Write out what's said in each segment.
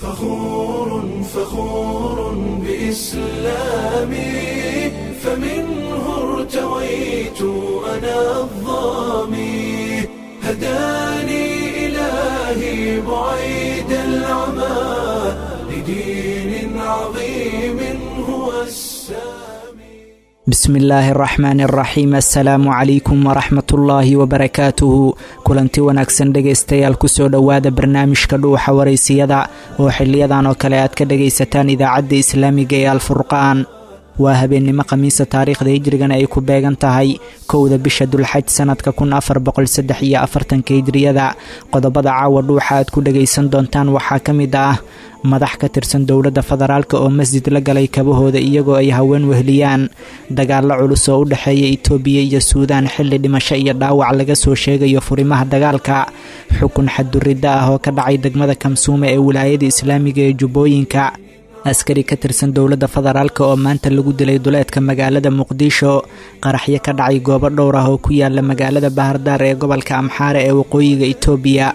فخور فخور بإسلامي، فمنه ارتويت أنا الظامي، هداني إلهي بعيد العمى لدين عظيم هو السامي. Bismi illaahi araxmaani araxiim, assalaamu calaykum waraxmatullaahi wabarakaatuhu. Kulanti wanaagsan dhegaystayaal, kusoo dhowaada barnaamijka Dhuuxa Waraysiyada oo xiliyadan oo kale aad ka dhagaysataan Idaacadda Islaamiga ee Alfurqaan. Waa habeennimo Khamiisa, taariikhda hijrigana ay ku beegan tahay 1da bisha Dulxaj sanadka 1443-ka hijriyada. Qodobada caawa Dhuuxa aad ku dhagaysan doontaan waxaa ka mid ah madax ka tirsan dowladda federaalka oo masjid la galay kabahooda iyagoo ay haween wehliyaan, dagaallo culus oo u dhexeeya Itoobiya iyo Suudaan xilli dhimasho iyo dhaawac laga soo sheegayo furimaha dagaalka, xukun xadduridda ah oo ka dhacay degmada Kamsuume ee Wilaayada Islaamiga ee Jubbooyinka, askari ka tirsan dowladda federaalka oo maanta lagu dilay duleedka magaalada Muqdisho, qaraxyo ka dhacay goobo dhowr ah oo ku yaala magaalada Bahardaar ee gobolka Amxaare ee waqooyiga Itoobiya.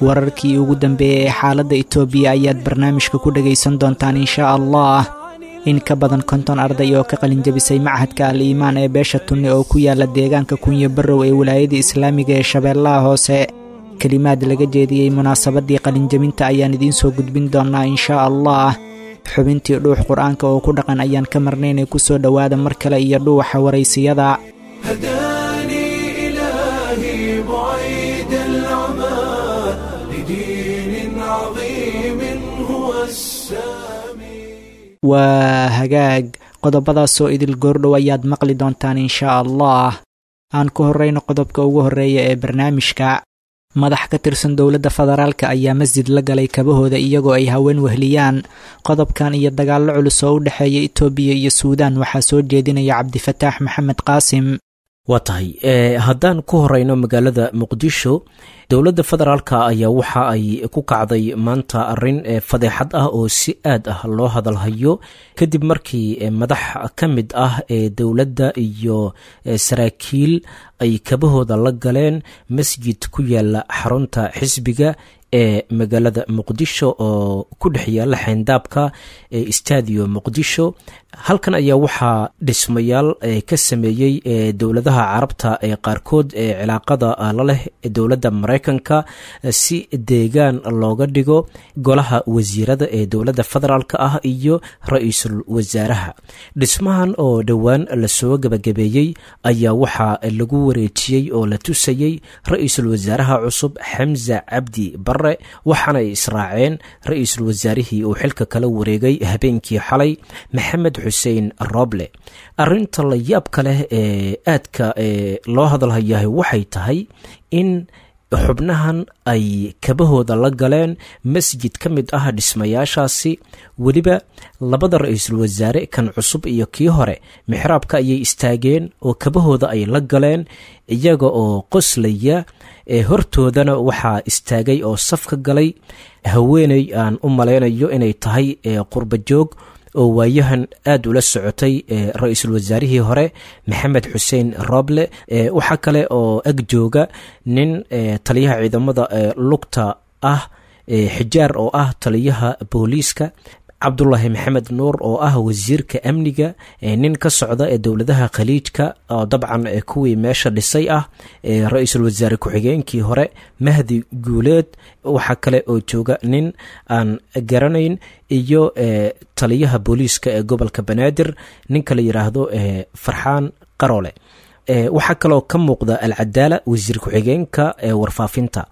Wararkii ugu dambeeyey ee xaaladda Itoobiya ayaad barnaamijka ku dhagaysan doontaan, inshaa Allah. In ka badan 50 arday oo ka qalinjabisay Machadka Al Iimaan ee beesha Tunne oo ku yaala deegaanka Kunyo Barrow ee Wilaayada Islaamiga ee Shabeellaha Hoose, kelimaad laga jeediyey munaasabadii qalinjabinta ayaan idiin soo gudbin doonaa, inshaa Allah. Xubintii Dhuux Qur-aanka oo ku dhaqan ayaan ka marnaynay. Kusoo dhowaada mar kale iyo Dhuuxa Waraysiyada. هداني إلهي بعيد العمى لدين عظيم هو السامي. Waa hagaag, qodobadaasoo idil goordhow ayaad maqli doontaan, inshaa Allah. Aan ku horreyno qodobka ugu horreeya ee barnaamijka. Madax ka tirsan dowladda federaalka ayaa masjid la galay kabahooda iyagoo ay haween wehliyaan. Qodobkan iyo dagaallo culus oo u dhexeeya Itoobiya iyo Suudaan waxaa soo jeedinaya Cabdifataax Maxamed Qaasim. Waa tahay, haddaan ku horeyno magaalada Muqdisho, dowladda federaalka ayaa waxa ay ku kacday maanta arrin fadeexad ah oo si aad ah loo hadalhayo, kadib markii madax ka mid ah ee dowladda iyo saraakiil ay kabahooda la galeen masjid ku yaala xarunta xisbiga ee magaalada Muqdisho oo ku dhex yaala xeyndaabka ee Stadio Muqdisho. Halkan ayaa waxaa dhismayaal ka sameeyey dowladaha Carabta ee qaarkood ee cilaaqada la leh dowladda Maraykanka si deegaan looga dhigo golaha wasiirada ee dowladda federaalk ah iyo ra-iisul wasaaraha. Dhismahan oo dhowaan lasoo gabagabeeyey ayaa waxaa lagu wareejiyey oo la tusayey ra-iisul wasaaraha cusub Xamza Cabdi Bare, waxaana ay israaceen ra-iisul wasaarihii uu xilka kala wareegay habeenkii xalay, Maxamed Xuseen Roble. Arrinta la yaabka leh ee aadka loo hadalhayahay waxay tahay in xubnahan ay kabahooda la galeen masjid ka mid ah dhismayaashaasi. Weliba labada ra-iisul wasaare, kan cusub iyo kii hore, mixraabka ayay istaageen oo kabahooda ay la galeen iyaga oo qoslaya. Hortoodana waxaa istaagay oo safka galay haweeney aan u malaynayo inay tahay qurba joog oo waayahan aada ula socotay ra-iisul wasaarihii hore Maxamed Xuseen Roble. Waxaa kale oo ag jooga nin taliyaha ciidamada lugta ah, Xijaar oo ah taliyaha booliiska, Cabdulaahi Maxamed Nuur oo ah wasiirka amniga, nin ka socda ee dowladaha Khaliijka oo dabcan kuwii meesha dhisay ah, ra-iisul wasaare ku-xigeenkii hore Mahdi Guuleed. Waxaa kale oo jooga nin aan garanayn iyo taliyaha booliiska ee gobolka Banaadir, ninka la yidhaahdo Farxaan Qarole. Waxaa kaloo ka muuqda Alcadaala, wasiir ku-xigeenka ee warfaafinta.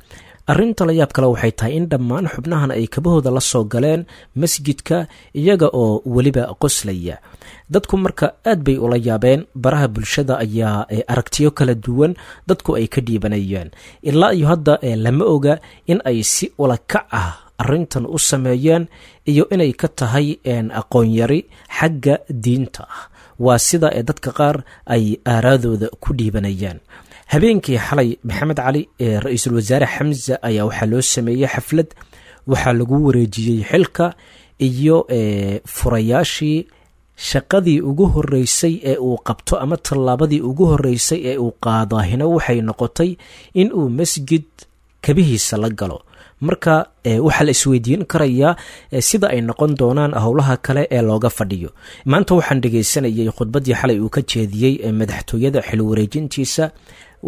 Arrinta la yaab kale waxay tahay in dhammaan xubnahan ay kabahooda la soo galeen masjidka iyaga oo weliba qoslaya. Dadku marka aad bay ula yaabeen, baraha bulshada ayaa aragtiyo kala duwan dadku ay ka dhiibanayeen. Ilaa iyo hadda lama oga in ay si ula kac ah arrintan u sameeyeen iyo inay ka tahay aqoonyari xagga diinta ah, waa sida ee dadka qaar ay aaraadooda ku dhiibanayaan. Habeenkii xalay, Maxamed Cali, ee ra-iisul wasaare Xamza ayaa waxaa loo sameeyey xaflad, waxaa lagu wareejiyey xilka iyo furayaashii. Shaqadii ugu horreysay ee uu qabto ama tallaabadii ugu horreysay ee uu qaadaahina waxay noqotay in uu masjid kabihiisa la galo. Marka waxaa la isweydiin karayaa sida ay noqon doonaan howlaha kale ee looga fadhiyo. Maanta waxaan dhegaysanayay khudbaddii xalay uu ka jeediyey madaxtooyada xilwareejintiisa.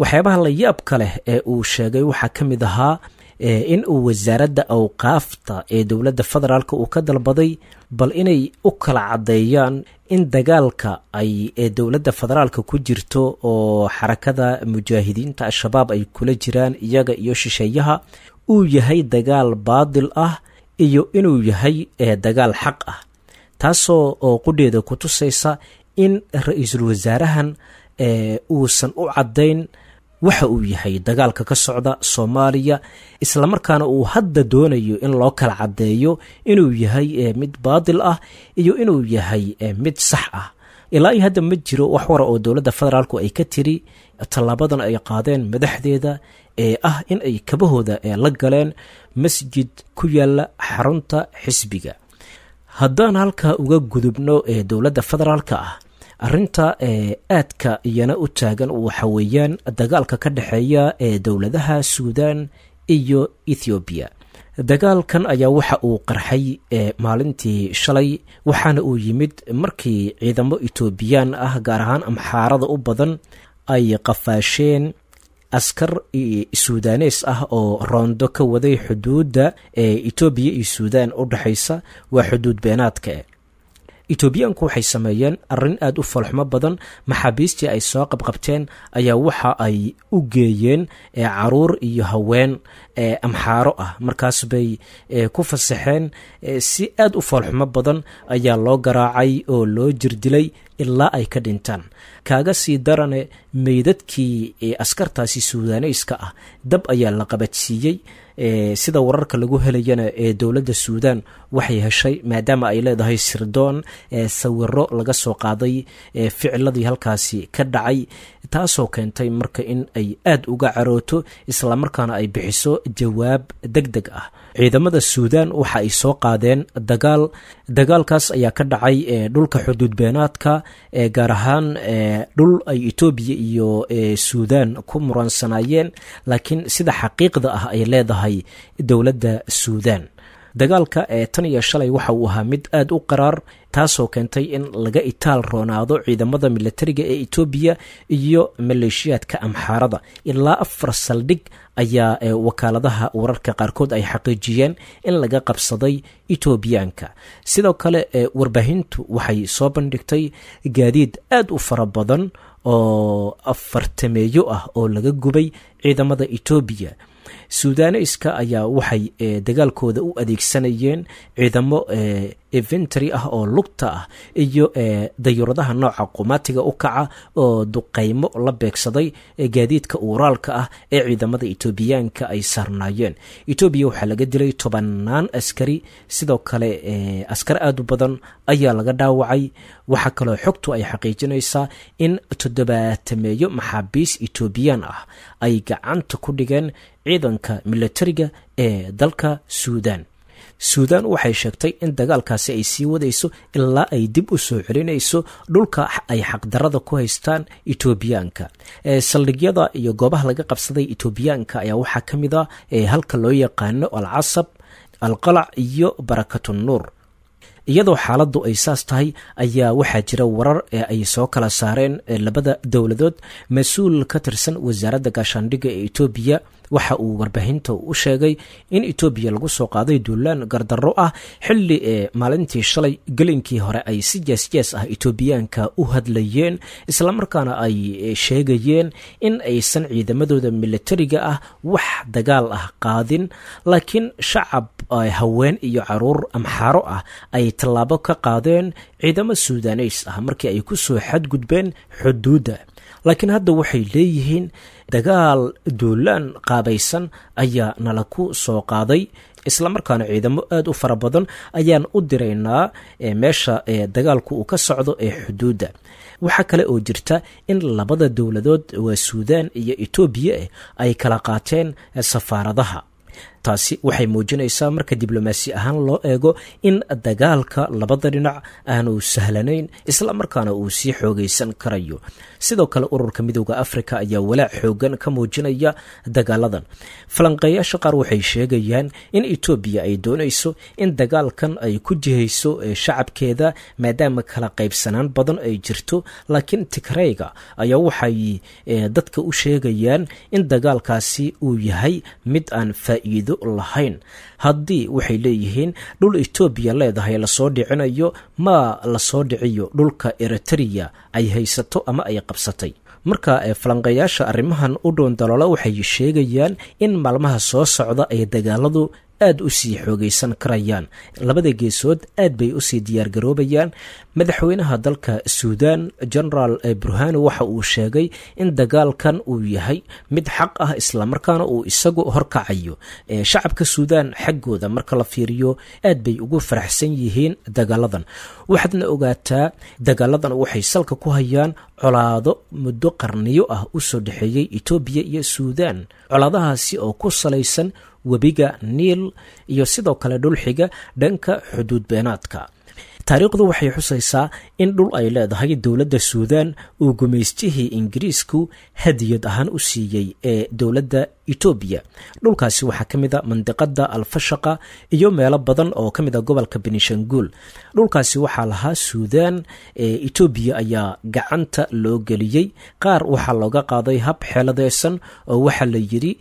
Waxyaabaha la yaabka leh ee uu sheegay waxaa ka mid ahaa in uu wasaaradda awqaafta ee dowladda federaalk uu ka dalbaday bal inay u kala caddeeyaan in dagaalka ay dowladda federaalka ku jirto oo xarakada mujaahidiinta Al-Shabaab ay kula jiraan iyaga iyo shisheeyaha uu yahay dagaal baadil ah iyo inuu yahay dagaal xaq ah, taasoo oo qudheeda ku tusaysa in ra-iisul wasaarahan uusan u caddayn waxa uu yahay dagaalka ka socda Soomaaliya, islamarkaana uu hadda doonayo in loo kala caddeeyo inuu yahay mid baadil ah iyo inuu yahay mid sax ah. Ilaa iyo hadda ma jiro wax wara oo dowladda federaalku ay ka tiri tallaabadan ay qaadeen madaxdeeda ee ah in ay kabahooda la galeen masjid ku yaala xarunta xisbiga. Haddaan halkaa uga gudubno ee dowladda federaalka ah, arrinta aadka iyana u taagan waxa weeyaan dagaalka ka dhexeeya ee dowladaha Suudan iyo Ethoobiya. Dagaalkan ayaa waxa uu qarxay maalintii shalay, waxaana uu yimid markii ciidamo Etoobiyaan ah, gaar ahaan Amxaarada u badan, ay qafaasheen askar Suudanees ah oo roondo ka waday xuduudda ee Etoobiya iyo Suudaan u dhexaysa, waa xuduud beenaadka. Etoobiyaanku waxay sameeyeen arrin aada u falxumo badan. Maxaabiistii ay soo qabqabteen ayaa waxa ay u geeyeen caruur iyo haween Amxaaro ah, markaas bay ku fasaxeen. Si aada u falxumo badan ayaa loo garaacay oo loo jirdilay ilaa ay ka dhintaan. Kaaga sii darane, meydadkii askartaasi Suudaaneyska ah dab ayaa la qabadsiiyey. Sida wararka lagu helayana ee dowladda Suudan waxay heshay, maadaama ay leedahay sirdoon, sawiro laga soo qaaday ficiladii halkaasi ka dhacay, taasoo keentay marka in ay aada uga carooto islamarkaana ay bixiso jawaab deg deg ah. Ciidamada Suudan waxa ay soo qaadeen dagaal. Dagaalkaas ayaa ka dhacay dhulka xuduud beenaadka, gaar ahaan dhul ay Etoobiya iyo Suudan ku muransanaayeen, laakiin sida xaqiiqda ah ay leedahay dowladda Suudan. Dagaalka ee tan iyo shalay waxa uu ahaa mid aada u qaraar, taasoo keentay in laga itaal roonaado ciidamada militariga ee Etoobiya iyo maleeshiyaadka Amxaarada. Ilaa 4 saldhig ayaa wakaaladaha wararka qaarkood ay xaqiijiyeen in laga qabsaday Etoobiyaanka. Sidoo kale warbaahintu waxay soo bandhigtay gaadiid aada u fara badan oo afartameeyo ah oo laga gubay ciidamada Etoobiya. Suudaaneyska ayaa waxay dagaalkooda u adeegsanayeen ciidamo eventry ah oo lugta ah iyo dayuuradaha nooca qumaatiga u kaca oo duqaymo la beegsaday gaadiidka uuraalka ah ee ciidamada Etoobiyaanka ay saarnaayeen. Etoobiya waxaa laga dilay tobannaan askari, sidoo kale askar aada u badan ayaa laga dhaawacay. Waxaa kaloo xogtu ay xaqiijinaysaa in toddobaatameeyo maxaabiis Etoobiyaan ah ay gacanta ku dhigeen ciidanka militariga ee dalka Suudan. Suudan waxay sheegtay in dagaalkaasi ay sii wadayso ilaa ay dib u soo celinayso dhulka ay xaqdarada ku haystaan Etoobiyaanka. Saldhigyada iyo goobaha laga qabsaday Etoobiyaanka ayaa waxaa ka mid ah halka loo yaqaano Alcasab, Alqalac iyo Barakatunuur. Iyadoo xaaladdu ay saas tahay ayaa waxaa jira warar ee ay soo kala saareen labada dowladood. Mas-uul ka tirsan wasaaradda gaashaandhigga ee Etoobiya waxa uu warbaahinta u sheegay in Etoobiya lagu soo qaaday duulaan gardarro ah, xilli ee maalintii shalay gelinkii hore ay si jees-jees ah Etoobiyaanka u hadlayeen, islamarkaana ay sheegayeen in aysan ciidamadooda militariga ah wax dagaal ah qaadin, laakiin shacab haween iyo caruur Amxaaro ah ay tallaabo ka qaadeen ciidamo Suudaneys ah markii ay ku soo xadgudbeen xuduudda. Laakiin hadda waxay leeyihiin dagaal duulaan qaabaysan ayaa nala ku soo qaaday, islamarkaana ciidamo aada u fara badan ayaan u diraynaa meesha dagaalku uu ka socdo ee xuduudda. Waxaa kale oo jirta in labada dowladood, waa Suudaan iyo Etoobiya, ay kala qaateen safaaradaha. Taasi waxay muujinaysaa marka diblomaasi ahaan loo eego in dagaalka labada dhinac aanu sahlanayn, isla markaana uu sii xoogaysan karayo. Sidoo kale ururka Midowda Africa ayaa walaac xoogan ka muujinaya dagaaladan. Falanqeeyaasha qaar waxay sheegayaan in Etoobiya ay doonayso in dagaalkan ay ku jihayso shacabkeeda, maadaama kala qaybsanaan badan ay jirto, laakiin Tigreyga ayaa waxay dadka u sheegayaan in dagaalkaasi uu yahay mid aan faa'iido lahayn. Haddii waxay leeyihiin dhul Etoobiya leedahay lasoo dhicinayo, ma lasoo dhiciyo dhulka Eritrea ay haysato ama ay qabsatay. Marka falanqeeyaasha arrimahan u dhoondalola waxay sheegayaan in maalmaha soo socda ay dagaaladu aad u sii xoogaysan karayaan. Labada geesood aad bay usii diyaargaroobayaan. Madaxweynaha dalka Suudan, Genaraal Burhano, waxa uu sheegay in dagaalkan uu yahay mid xaq ah, islamarkaana uu isagu horkacayo. Shacabka Suudan xaggooda marka la fiiriyo aad bay ugu faraxsan yihiin dagaaladan. Waxaadna ogaataa dagaaladan waxay salka ku hayaan colaado muddo qarniyo ah usoo dhexeeyey Etoobiya iyo Suudan, colaadahaasi oo ku salaysan webiga Niil iyo sidoo kale dhulxiga dhanka xuduud beenaadka. Taariikhdu waxay xusaysaa in dhul ay leedahay dowladda Suudan uu gumaystihii Ingiriisku hadiyad ahaan u siiyey ee dowladda Etoobiya. Dhulkaasi waxaa ka mid a mandiqada Alfashaqa iyo meelo badan oo ka mid a gobolka Benishanguul. Dhulkaasi waxaa lahaa Suudan, Etoobiya ayaa gacanta loo geliyey. Qaar waxaa looga qaaday hab xeeladeysan oo waxaa la yidhi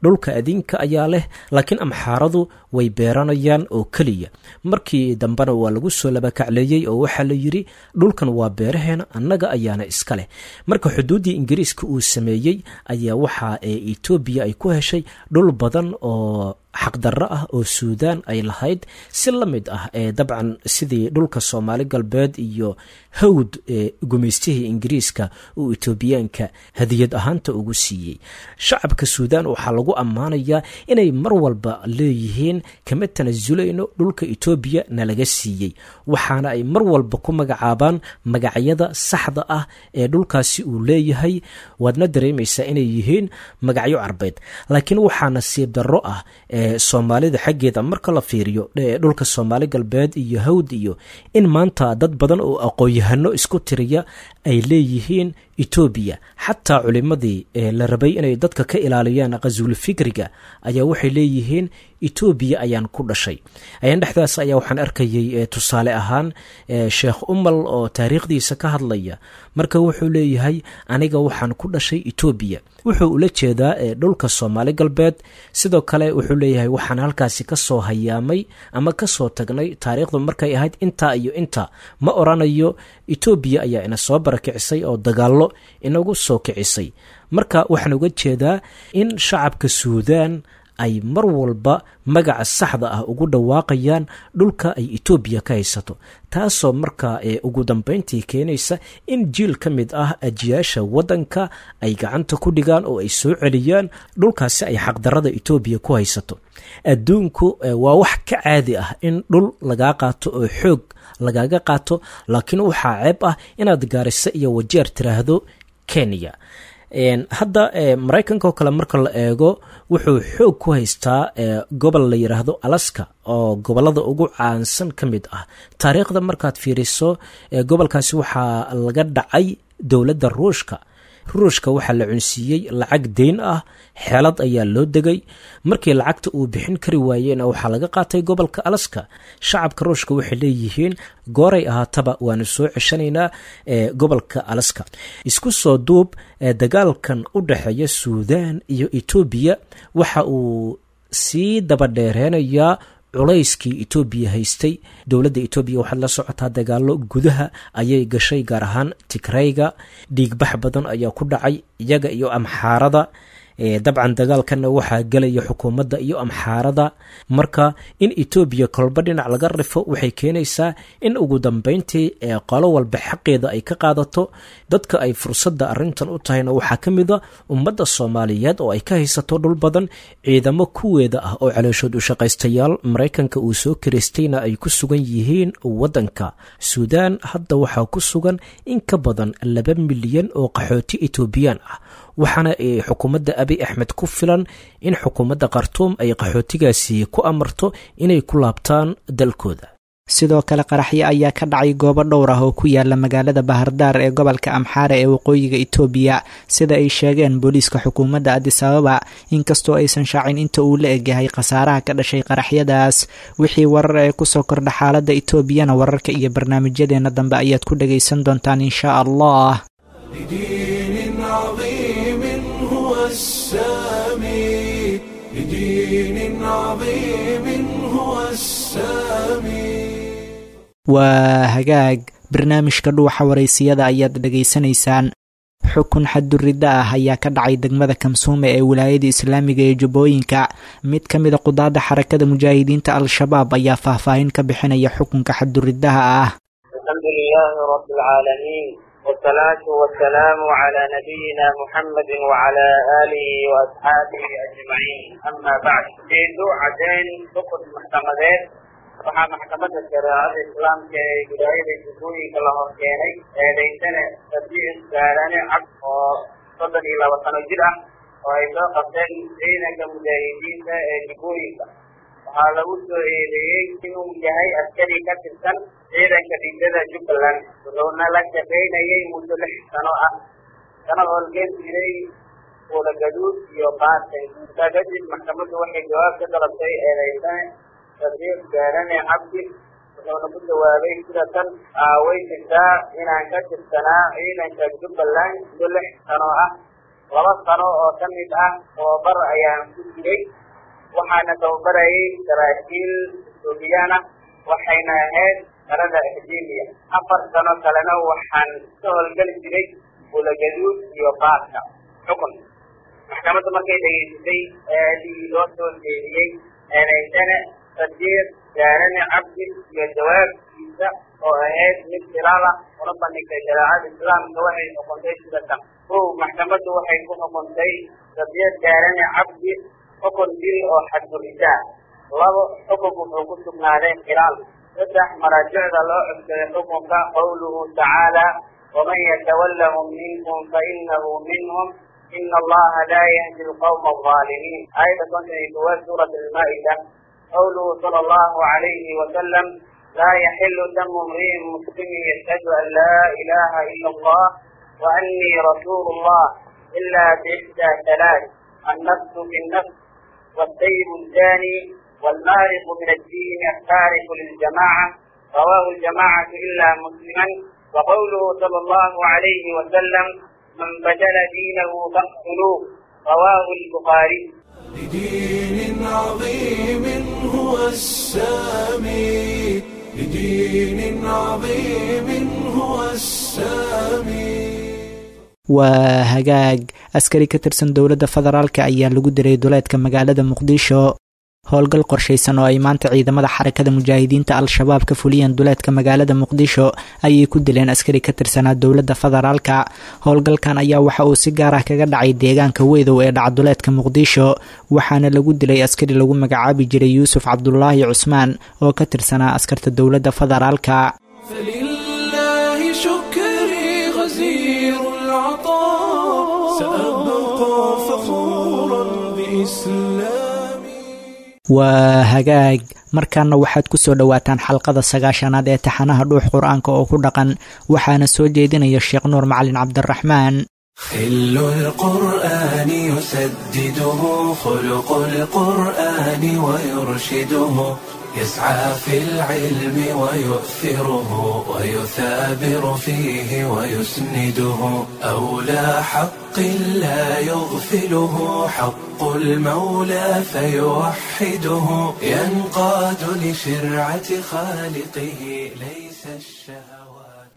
dhulka adinka ayaa leh, laakiin Amxaaradu way beeranayaan oo keliya. Markii dambena waa lagu soo labakacleeyey oo waxaa la yidhi dhulkan waa beeraheena, annaga ayaana iska leh. Marka xuduuddii Ingiriiska uu sameeyey ayaa waxaa Etoobiya ay ku heshay dhul badan oo xaqdarro ah oo Suudaan ay lahayd, si la mid ah ee dabcan sidii dhulka Soomaali Galbeed iyo Hawd ee gumaystihii Ingiriiska uu Etoobiyaanka hadiyad ahaanta ugu siiyey. Shacabka Suudaan waxaa lagu ammaanayaa inay mar walba leeyihiin kama tanasulayno dhulka Etoobiya nalaga siiyey, waxaana ay mar walba ku magacaabaan magacyada saxda ah ee dhulkaasi uu leeyahay. Waadna dareemaysaa inay yihiin magacyo Carbeed, laakiin waxaa nasiib darro ah Soomaalida xaggeeda marka la fiiriyo dhulka Soomaali Galbeed iyo Hawd iyo in maanta dad badan oo aqoon-yahano isku tiriya ay leeyihiin Etoobiya. Xataa culimadii la rabay inay dadka ka ilaaliyaan qasuul fikriga ayaa waxay leeyihiin Etoobiya ayaan ku dhashay. Ayaan dhexdaas ayaa waxaan arkayay tusaale ahaan Sheekh Umal oo taariikhdiisa ka hadlaya. Marka wuxuu leeyahay aniga waxaan ku dhashay Etoobiya, wuxuu ula jeedaa dhulka Soomaali Galbeed. Sidoo kale wuxuu leeyahay waxaan halkaasi ka soo hayaamay ama ka soo tagnay taariikhdu markay ahayd intaa iyo intaa. Ma oranayo Etoobiya ayaa ina soo barakicisay oo dagaallo inagu soo kicisay. Marka waxaan uga jeedaa in shacabka Suudaan ay mar walba magaca saxda ah ugu dhawaaqayaan dhulka ay Etoobiya ka haysato, taasoo markaa ugu dambayntii keenaysa in jiil ka mid ah ajiyaasha waddanka ay gacanta ku dhigaan oo ay soo celiyaan dhulkaasi ay xaqdarrada Etoobiya ku haysato. Adduunku waa wax ka caadi ah in dhul lagaa qaato oo xoog lagaaga qaato, laakiin waxaa ceeb ah inaad Gaarisa iyo Wajeer tiraahdo Kenya. Hadda Maraykanka oo kale marka la eego wuxuu xoog ku haystaa gobol la yidhaahdo Alaska oo gobollada ugu caansan ka mid ah. Taariikhda markaad fiiriso gobolkaasi waxaa laga dhacay dowladda Ruushka. Ruushka waxaa la cunsiiyey lacag deyn ah, xeelad ayaa loo degay. Markii lacagta uu bixin kari waayeyna waxaa laga qaatay gobolka Alaska. Shacabka Ruushka waxay leeyihiin gooray ahaataba waanu soo ceshanaynaa gobolka Alaska. Isku soo duub, dagaalkan u dhexeeya Suudaan iyo Etoobiya waxa uu sii dabadheereynayaa culayskii Etoobiya haystay. Dowladda Etoobiya waxaad la socotaa dagaallo gudaha ayay gashay, gaar ahaan Tigreyga. Dhiigbax badan ayaa ku dhacay iyaga iyo Amxaarada. Dabcan dagaalkanna waxaa gelaya xukuumadda iyo Amxaarada. Marka in Etoobiya kolba dhinac laga rifo waxay keenaysaa in ugu dambeyntii qolo walba xaqeeda ay ka qaadato. Dadka ay fursadda arrintan u tahayna waxaa ka mid a ummadda Soomaaliyeed oo ay ka haysato dhul badan, ciidamo kuweeda ah oo calooshood u shaqaystayaal Maraykanka uu soo kiraystayna ay ku sugan yihiin waddanka Suudaan. Hadda waxaa ku sugan in ka badan 2 milyan oo qaxooti Etoobiyaan ah. Waxaana xukuumadda Abi Axmed ku filan in xukuumadda Khartuum ay qaxootigaasi ku amarto inay ku laabtaan dalkooda. Sidoo kale qaraxyo ayaa ka dhacay goobo dhowr ah oo ku yaala magaalada Bahardaar ee gobolka Amxaare ee waqooyiga Itoobiya, sida ay sheegeen booliiska xukuumadda Addis Ababa, inkastoo aysan shaacin inta uu la egyahay khasaaraha ka dhashay qaraxyadaas. Wixii warar ee kusoo kordha xaaladda Itoobiyana wararka iyo barnaamijyadeena dambe ayaad ku dhagaysan doontaan insha Allah. لدين عظيم هو السامي، لدين عظيم هو السامي. Waa hagaag, barnaamijka Dhuuxa Waraysiyada ayaad dhegaysanaysaan. Xukun xadduridda ah ayaa ka dhacay degmada Kamsuume ee wilaayada islaamiga ee Jubbooyinka. Mid ka mida qudaadda Xarakada Mujaahidiinta Al-Shabaab ayaa faahfaahin ka bixinaya xukunka xadduriddaha ah. الحمد لله رب العالمين، والصلاة والسلام على نبينا محمد وعلى آله وأصحابه أجمعين، أما بعد. Ujeedo caddeyn xukun maxkamadeed. Waxaa Maxkamadda Shareecada Islaamka ee Wilaayada Jubbooyinka la hor keenay eedeysane Sadiiq Gaarane Cabd oo 32 sano jir ah oo ay soo qabteen ciidanka mujaahidiinta ee Jubbooyinka. Waxaa lagu soo eedeeyey inuu yahay askari ka tirsan ciidanka dhigdada Jubbaland, wuxuuna la shaqaynayay muddo 6 sano ah, kana howlgeli jiray Kuulagaduud iyo Baartay. Intaa kadib maxkamaddu waxay jawaab ka dalabtay eedeysane Sadiiq Gaarane Cabdi, wuxuuna ku jawaabay sida tan: Way jirtaa inaan ka tirsanaa ciidanka Jubbaland muddo 6 sano ah. 2 sano oo ka mid ah tababar ayaan ku jiray, waxaana tababarayay saraakiil Etoobiyaan ah, waxayna ahayd qarada akademiya. 4 sano kalena waxaan ka howlgeli jiray Buulagaduud iyo Baarka. Xukun: maxkamaddu markay dhegeysatay eedii loo soo jeediyey eedeysane Sadiiq Gaarane Cabdi iyo jawaabtiisa oo ahayd mid khilaal ah una bandhigtay shareecada islaamka, waxay xukuntay sida tan: 1. Maxkamaddu waxay ku xukuntay Sadiiq Gaarane Cabdi xukun dil oo xadgudubta ah. 2. Xukunku wuxuu ku sugnaaday khilaal. 3. Maraajicda loo codsaday xukunka: qowluhu tacaala waman yatawallahum minkum fainahu minhum ina allaha laa yahdi alqawma alظaalimiin, aayadda 51 suurat almaa'ida. Qowluhu sala allahu calayhi wasalam laa yaxilu damu imri'in muslimin yashhadu an laa ilaha ila allah wa annii rasuulu llah ila biixdaa halaath: النفس بالنفس، والسيب الزاني، والمارق من الدين التارك للجماعة. رواه الجماعة إلا مسلما. وقوله صلى الله عليه وسلم من بدل دينه فاقتلوه. رواه البخاري. لدين عظيم هو السامي، لدين عظيم هو السامي. Waa hagaag, askari ka tirsan dowladda federaalka ayaa lagu diray duleedka magaalada Muqdisho. Howlgal qorshaysan oo ay maanta ciidamada Xarakada Mujaahidiinta Al-Shabaab ka fuliyeen duleedka magaalada Muqdisho ayay ku dileen askari ka tirsanaa dowladda federaalka. Howlgalkan ayaa waxa uu si gaar ah kaga dhacay deegaanka Weydow ee dhaca duleedka Muqdisho, waxaana lagu dilay askari lagu magacaabi jiray Yuusuf Cabdulaahi Cusmaan oo ka tirsanaa askarta dowladda federaalka. فلله شكري غزير العطاء، سأبقى فخورا بإسلامي. Waa hagaag, markaana waxaad ku soo dhowaataan xalqada 90aad ee taxanaha Dhuux Qur-aanka oo ku dhaqan, waxaana soo jeedinaya Sheekh Nuur Macalin Cabdiraxmaan. خل القرآن يسدده خلق القرآن ويرشده، يسعى في العلم ويؤثره ويثابر فيه ويسنده، أولى حق لا يغفله حق المولى فيوحده، ينقاد لشرعة خالقه ليس الشهوات.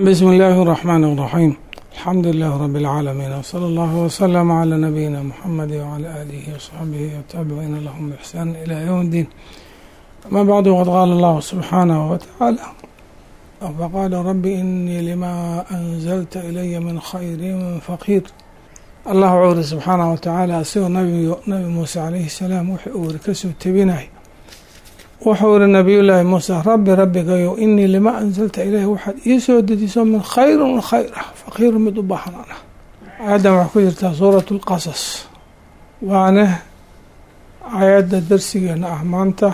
بسم الله الرحمن الرحيم، الحمد لله رب العالمين، وصلى الله وسلم على نبينا محمد وعلى آله وصحبه والتابعين لهم بإحسان إلى يوم الدين. أما بعد، وقد قال الله سبحانه وتعالى: فقال رب إني لما أنزلت إلي من خير فقير. Allah wuxuu iri subxaanahu watacaala, asigoo Nabi Muuse calayhi salaam wuxuu uu iri kasoo tebinay, wuxuu iri Nabiyullaahi Muuse: rabbi, rabbigayow, inii lima anzalta ilayhi, waxaad ii soo dejiso, min khayrin khayr ah, faqiir, mid u baahan aan ah. Aayaddan waxay ku jirtaa suuratu lqasas, waana aayadda darsigeena ah maanta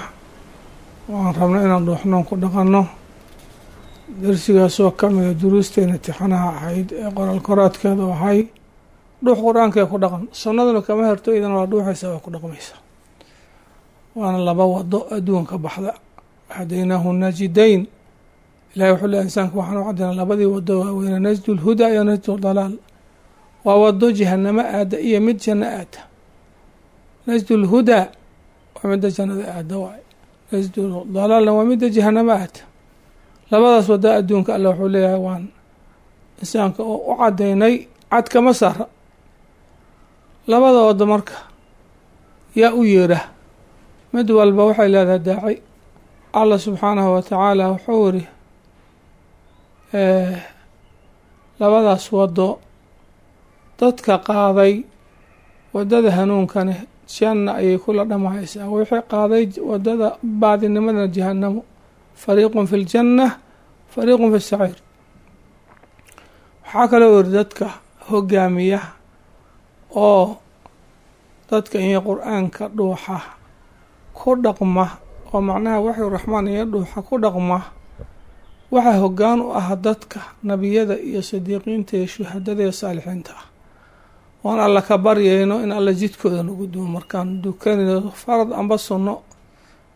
waan rabno inaan dhuuxnoon ku dhaqanno. Darsigaasoo ka mida duruusteena tixanaha ahayd ee qoraal koraadkeedu ahay dhuux qur-aanka ee ku dhaqan, sunnaduna kama herto, idana waa dhuuxaysa, waa ku dhaqmaysa. Waana laba wado adduunka baxda, hadaynaahu najidayn. Ilahay wuxuu leeyahy insaanka waxaan u caddaynaa labadii wado waaweyne, najdu lhudaa iyo najdu dalaal. Waa wado jahanamo aada iyo mid janno aada. Najdu lhudaa waa midda jannada aada waay, najdu dalaalna waa midda jahanamo aada. Labadaas wado adduunka alle wuxuu leeyahay waan insaanka oo u caddaynay, cad kama saara labada wado. Marka yaa u yeedha, mid walba waxay leedahay daaci. Allah subxaanahu wa tacaala wuxuu yiri labadaas wado dadka qaaday wadada hanuunkane janna ayay kula dhamahaysaa, wixii qaaday wadada baadinimadana jahanamo. Fariiqun fi ljanna, fariiqun fi saciir. Waxaa kaloo yiri dadka hogaamiya oo dadka iyo qur-aanka dhuuxa ku dhaqma, oo macnaha waxyu raxmaan iyo dhuuxa ku dhaqma, waxaa hoggaan u ah dadka nebiyada iyo sadiiqiinta iyo shuhadada iyo saalixiinta ah. Oon alla ka baryayno in alla jidkooda nagu duwo markaan dukanayno farad amba sunno.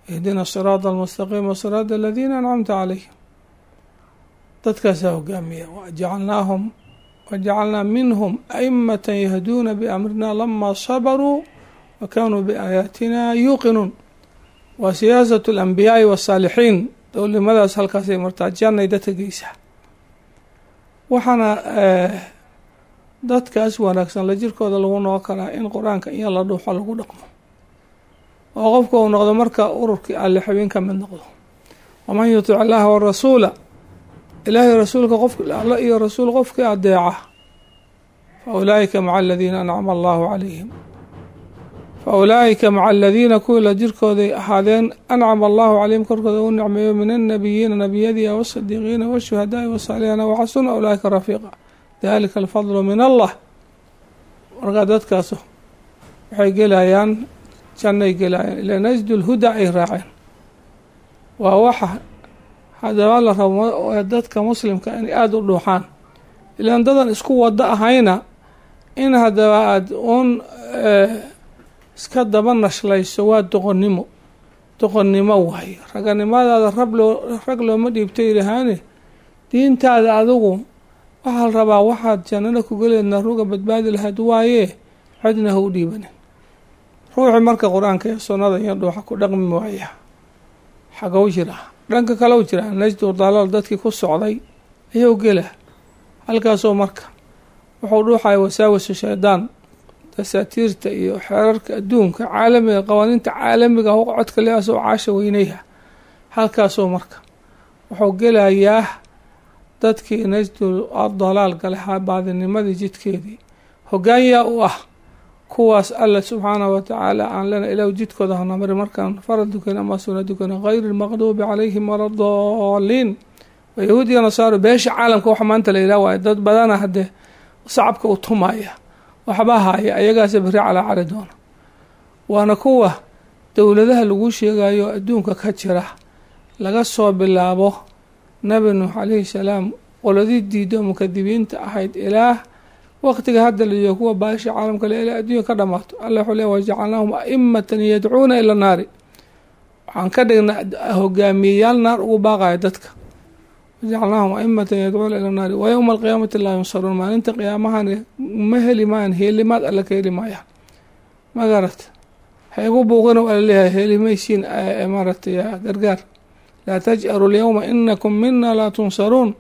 Ihdina siraada almustaqiima siraada aladiina ancamta calayhim. Dadkaasaa hogaamiya. Wajacalnaahum wajacalnaa minhum aimata yahduuna biamrina lama sabaruu wa kaanuu biaayaatina yuuqinuun. Waa siyaasatu alambiyaai wasaalixiin. Dowlimadaas halkaasay martaa, jannay dadka geysaa. Waxaana dadkaas wanaagsan la jirkooda lagu noqon karaa in qur-aanka iyo la dhuuxo lagu dhaqmo, oo qofka uu noqdo marka ururkii alle xubin ka mid noqdo. Waman yutic illaaha warasuula, ilaahay rasuulka qof alla iyo rasuul qofkii adeeca, fa ulaa'ika maca aladiina ancama allahu calayhim, fa ulaa'ika maca aladiina kuwii la jirkooday ahaadeen ancama allahu calayhim korkooda u nicmeeyo, min annabiyiina nebiyadii, wasadiiqiina washuhadaai wasaalixiina, waxasuna ulaa'ika rafiiqa, dalika alfadlu min allah. Markaa dadkaas waxay gelayaan jannay gelayaan, ilaa najdu lhudaa ay raaceen. Waa waxa haddaba la rabo dadka muslimka inay aada u dhuuxaan, ilaan dadan isku wado ahayna in haddaba aada uun iska daba nashlayso waa doqonnimo, doqonnimo waaye. Raganimadaada rabloo rag looma dhiibto yidhahaane, diintaada adigu waxaa la rabaa waxaad jannada ku geleedna ruga badbaadi lahayd waaye, cidna ha u dhiibanin. Ruuxi marka qur-aanka iyo sunnada iyo dhuuxa ku dhaqmi waaya xagow jira, dhanka kale u jira najdu dalaal dadkii ku socday ayuu gela. Halkaasoo marka wuxuu dhuuxaya wasaawisu shaydaan, dasaatiirta iyo xeerarka adduunka caalamiga, qawaaniinta caalamiga codka leasoo caasha weynayha. Halkaasoo marka wuxuu gelayaa dadkii najdu dalaal galahaa, baadinimadii jidkeedii hoggaan yaa u ah kuwaas. Alla subxaanahu watacaala aan lena ilahu jidkooda hanamari markaan farad dukan ama suna dukan, hayri lmaqduubi calayhim wala daaliin. Waa yahuud iyo nasaaro beesha caalamka waxa maanta la yidhaha waayo dad badana haddee sacabka u tumaya waxba haya, ayagaasa beri calaa cali doona. Waana kuwa dowladaha lagu sheegayo adduunka ka jira, laga soo bilaabo nabi Nuux calayhi salaam qoladii diido mukadibiinta ahayd ilaa waqtiga hadda la joogo kuwa baasha caalamka le ilaa adduunya ka dhamaato. Alla wuxuu leey wajacalnaahum aimatan yadcuuna ila naari, waxaan ka dhignaa hogaamiyeyaal naar ugu baaqaya dadka. Wajacalnaahum aimatan yadcuuna ila naari wa yowma alqiyaamati laa yunsaruun. Maalinta qiyaamahani ma heli maayaan, heelimaad alla ka heli maayaan. Ma garat ha igu buuqina waa laleeyahay, heli maysiin maaragtay gargaar. Laa taj'aru alyowma inakum mina laa tunsaruun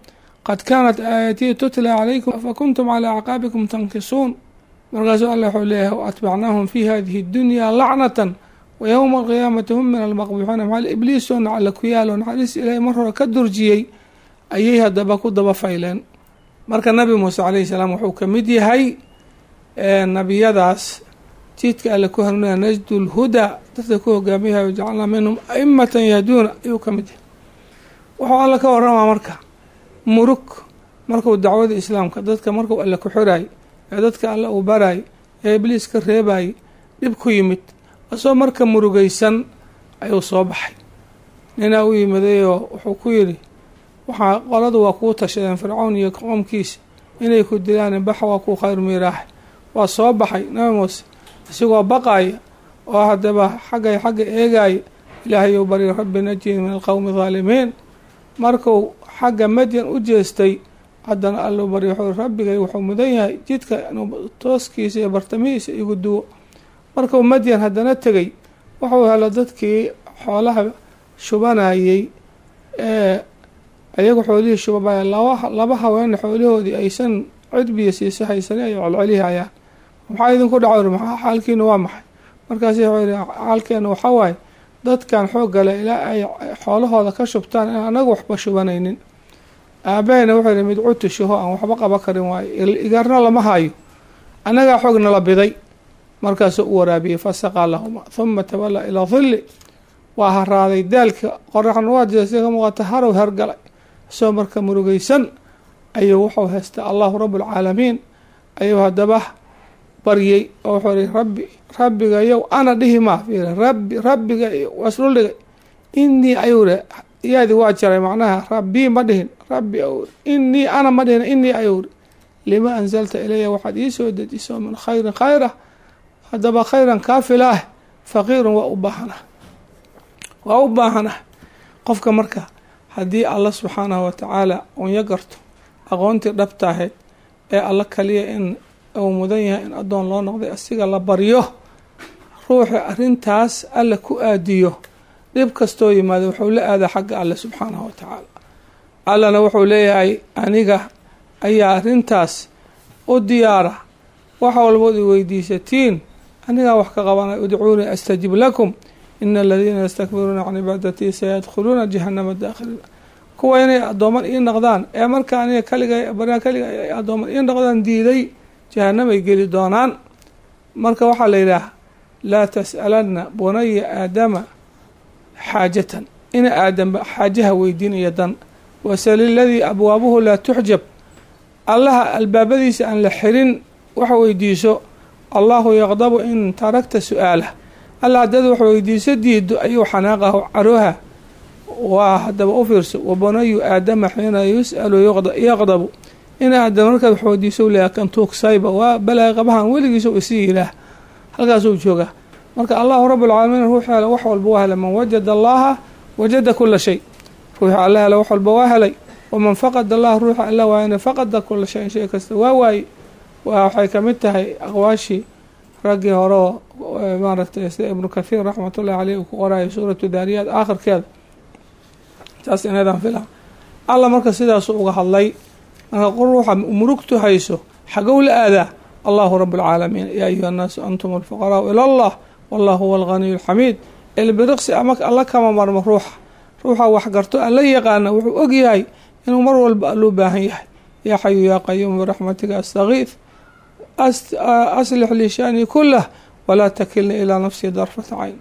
qad kaanat aayatii tutla calaykum fakuntum calaa acqaabikum tankisuun. Markaasuu alla wuxuu leeyahay waatbacnaahum fi hadihi اdunya lacnatan wa yowma alqiyaamati hum min almaqbuuxiina. Maxaa ibliisoo nacla ku yaalo naxariis ilaahay mar hore ka durjiyey ayay haddaba ku daba fayleen. Marka nabi Muuse calayhi salaam wuxuu ka mid yahay nebiyadaas jidka alle ku hanuunaya, najdu lhudaa dadka ku hogaamiyahay, wajacalnaa minhum aimatan yahduuna ayuu ka mid yahay. Wuxuu alla ka waramaa marka murug markuu dacwada islaamka dadka markuu alle ku xiraay ee dadka alle uu barayay ee ibliis ka reebayay dhib ku yimid. Asoo marka murugaysan ayuu soo baxay. Ninaa u yimadayoo wuxuu ku yidhi, waxaa qoladu waa kuu tashadeen Fircown iyo qoomkiisa inay ku dilaan, baxa waa kuu khayr miiraax. Waa soo baxay Nabi Muuse isagoo baqaaya oo haddaba xagga eegaaya. Ilaahayuu bari, rabbi najini min alqowmi haalimiin. Markuu xagga Madyan u jeestay haddana alluu bari, wuxuu rabbigay wuxuu mudan yahay jidka inuu tooskiisa iyo bartamihiisa igu duwo. Markuu Madyan haddana tegay wuxuu helo dadkii xoolaha shubanayay ee ayagu xoolihii shubabaya, laba haween xoolahoodii aysan cid biyo siisa haysanin ay celcelihayaan. Maxaa idinku dhaco? Maxaa xaalkiina waa maxay? Markaas wuxuu yidhi, xaalkeena waxaa waaye dadkan xoog gale ilaa ay xoolahooda ka shubtaan in anagu waxba shubanaynin. Aabahayna wuxuu yidhi, mid cutushaho aan waxba qaban karin waayo, igarna lama hayo, annagaa xoog nala biday. Markaasuu u waraabiyey, fasaqaa lahuma thuma tawallaa ilaa dhilli. Waa haraaday daalka, qoraxna waa jeestay ka muuqata, harow hergalay. Isagoo marka murugaysan ayuu wuxuu haystaa Allahu rabbulcaalamiin ayuu haddaba baryey oo wuxuu yihi, rabbi rabbigayow ana dhihi maa fiiri, rabbi rabbiga waa isdhuldhigay, inii ayuu yihi, yaadi waa jaray, macnaha rabbii ma dhihin, rabbi ayuu yihi, inii ana ma dhihin, inii ayuu yihi, lima anzalta ilaya waxaad ii soo dejiso min khayrin khayr ah, haddaba khayran kaafilaah, faqiirun waa u baahanah, waa u baahanah. Qofka marka haddii alla subxaanahu watacaala unya garto aqoontii dhabta ahayd ee alla kaliya in uu mudan yahay in addoon loo noqday, asiga la baryo, ruuxa arrintaas alla ku aadiyo, dhib kastoo yimaado wuxuu la aadaa xagga alle subxaanahu watacaala. Allana wuxuu leeyahay, aniga ayaa arrintaas u diyaara, wax walbood i weydiisatiin anigaa wax ka qabanay. Udcuunii astajib lakum ina aladiina yastakbiruuna can cibaadatii sayadkhuluuna jahanama daakhiliin. Kuwa inay addooman ii noqdaan ee marka aniga kaliga baryaa kaliga ay addooman ii noqdaan diiday, jahanamay geli doonaan. Marka waxaa la yidhaah, laa tas'alanna bunaya aadama xaajatan, ina aadamba xaajaha weydiinaya dan, wasal iladii abwaabuhu laa tuxjab, allaha albaabadiisa aan la xirin wax weydiiso. Allahu yaqdabu in tarakta su-aalah, alla haddaad wax weydiiso diido ayuu xanaaqahu carooha. Waa haddaba u fiirso, wabunayu aadama xiina yus'alu yaqdabu, in aadam markaad wax weydiiso leeyahay kan tuugsayba waa balaay qabahan weligiisa isii yilaah, halkaasuu joogaa. Marka allahu rabbulcaalamiin ruux hela wax walba waa helay. Man wajada allaha wajada kula shay, ruuxa alla hela wax walba waa helay. Waman faqada allah, ruuxa alla waayana faqada kula shayin, shay kasta waa waayey. Waxay kamid tahay aqwaashii raggii hore oo maaragtay sida Ibnu Kathiir raxmatullahi caleyh uu ku qoraayo suuratu Daariyaad aakhirkeeda, saas inadan fila. Alla marka sidaasu uga hadlay. Marka ruuxa murugtu hayso xagow la aadaa? Allahu rabbulcaalamiin. Yaa ayuha annaasu antum alfuqaraau ila allah wallahu huwa alghaniyu alxamiid. Ilbiriqsi ama alla kama marmo ruuxa, ruuxa wax garto alla yaqaana wuxuu og yahay inuu mar walba alluu baahan yahay. Yaa xayu yaa qayuum biraxmatika astagiith, aslix lii shanii kulah walaa takilnii ilaa nafsii darfata cayn.